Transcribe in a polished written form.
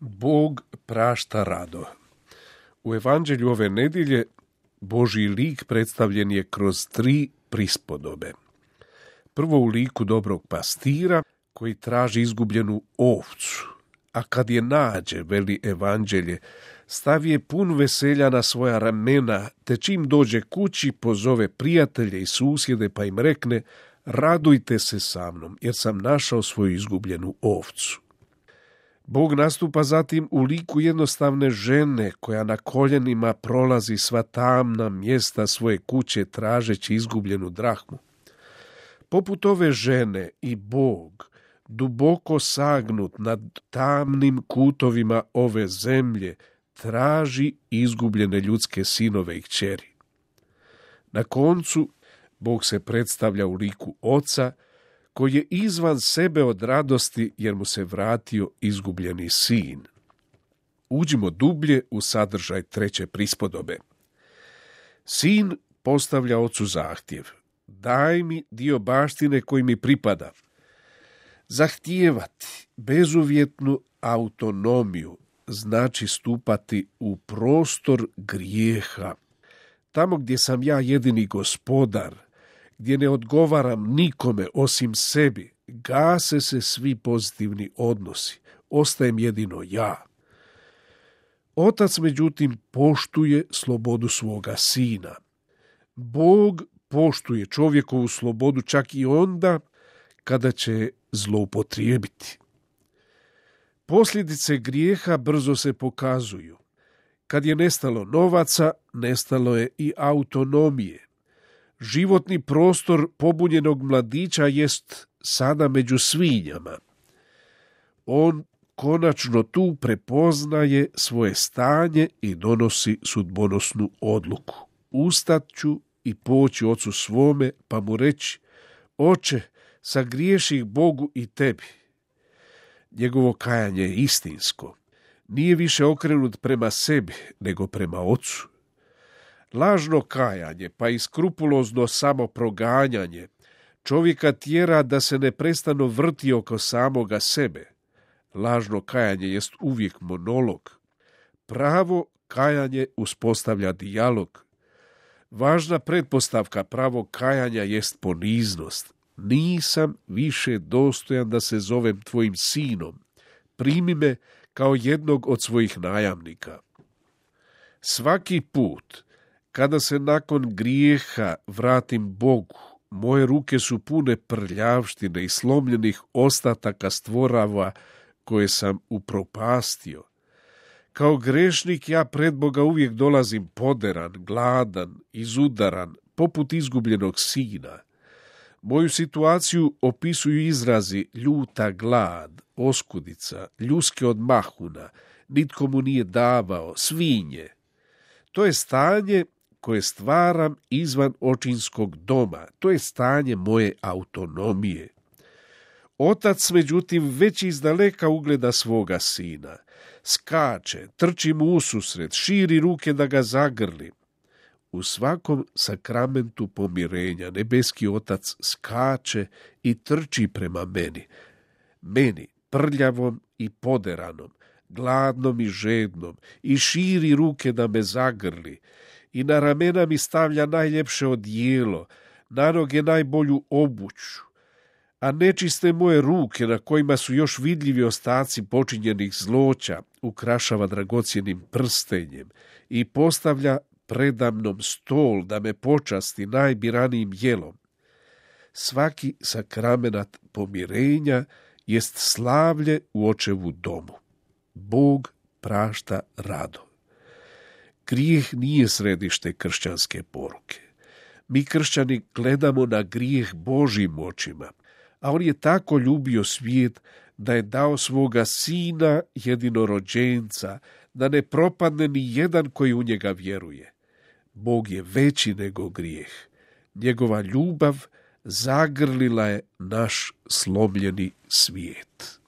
Bog prašta rado. U evanđelju ove nedjelje Božji lik predstavljen je kroz 3 prispodobe. Prvo u liku dobrog pastira koji traži izgubljenu ovcu, a kad je nađe, veli evanđelje, stavi je pun veselja na svoja ramena, te čim dođe kući pozove prijatelje i susjede pa im rekne: radujte se sa mnom, jer sam našao svoju izgubljenu ovcu. Bog nastupa zatim u liku jednostavne žene koja na koljenima prolazi sva tamna mjesta svoje kuće tražeći izgubljenu drahmu. Poput ove žene i Bog, duboko sagnut nad tamnim kutovima ove zemlje, traži izgubljene ljudske sinove i kćeri. Na koncu Bog se predstavlja u liku Oca, koji je izvan sebe od radosti jer mu se vratio izgubljeni sin. Uđimo dublje u sadržaj 3. prispodobe. Sin postavlja ocu zahtjev: daj mi dio baštine koji mi pripada. Zahtijevati bezuvjetnu autonomiju znači stupati u prostor grijeha, tamo gdje sam ja jedini gospodar, gdje ne odgovaram nikome osim sebi, gase se svi pozitivni odnosi, ostajem jedino ja. Otac, međutim, poštuje slobodu svoga sina. Bog poštuje čovjekovu slobodu čak i onda kada će zloupotrijebiti. Posljedice grijeha brzo se pokazuju. Kad je nestalo novaca, nestalo je i autonomije. Životni prostor pobunjenog mladića jest sada među svinjama. On konačno tu prepoznaje svoje stanje i donosi sudbonosnu odluku. Ustat ću i poći ocu svome pa mu reći: oče, sagriješih Bogu i tebi. Njegovo kajanje je istinsko. Nije više okrenut prema sebi, nego prema ocu. Lažno kajanje, pa i skrupulozno samoproganjanje čovjeka tjera da se neprestano vrti oko samoga sebe. Lažno kajanje jest uvijek monolog. Pravo kajanje uspostavlja dijalog. Važna pretpostavka pravog kajanja jest poniznost. Nisam više dostojan da se zovem tvojim sinom. Primi me kao jednog od svojih najamnika. Svaki put kada se nakon grijeha vratim Bogu, moje ruke su pune prljavštine i slomljenih ostataka stvorava koje sam upropastio. Kao grešnik ja pred Boga uvijek dolazim poderan, gladan, izudaran, poput izgubljenog sina. Moju situaciju opisuju izrazi ljuta glad, oskudica, ljuske od mahuna, nitko mu nije davao, svinje. To je stanje koje stvaram izvan očinskog doma, to je stanje moje autonomije. Otac, međutim, već izdaleka ugleda svoga sina. Skače, trči mu ususret, širi ruke da ga zagrli. U svakom sakramentu pomirenja nebeski Otac skače i trči prema meni, prljavom i poderanom, gladnom i žednom, i širi ruke da me zagrli, i na ramena mi stavlja najljepše odijelo, na noge najbolju obuću, a nečiste moje ruke na kojima su još vidljivi ostaci počinjenih zloća ukrašava dragocjenim prstenjem i postavlja predamnom stol da me počasti najbiranijim jelom. Svaki sakramenat pomirenja jest slavlje u očevu domu. Bog prašta rado. Grijeh nije središte kršćanske poruke. Mi kršćani gledamo na grijeh Božjim očima, a on je tako ljubio svijet da je dao svoga sina jedinorođenca, da ne propadne ni jedan koji u njega vjeruje. Bog je veći nego grijeh. Njegova ljubav zagrlila je naš slomljeni svijet.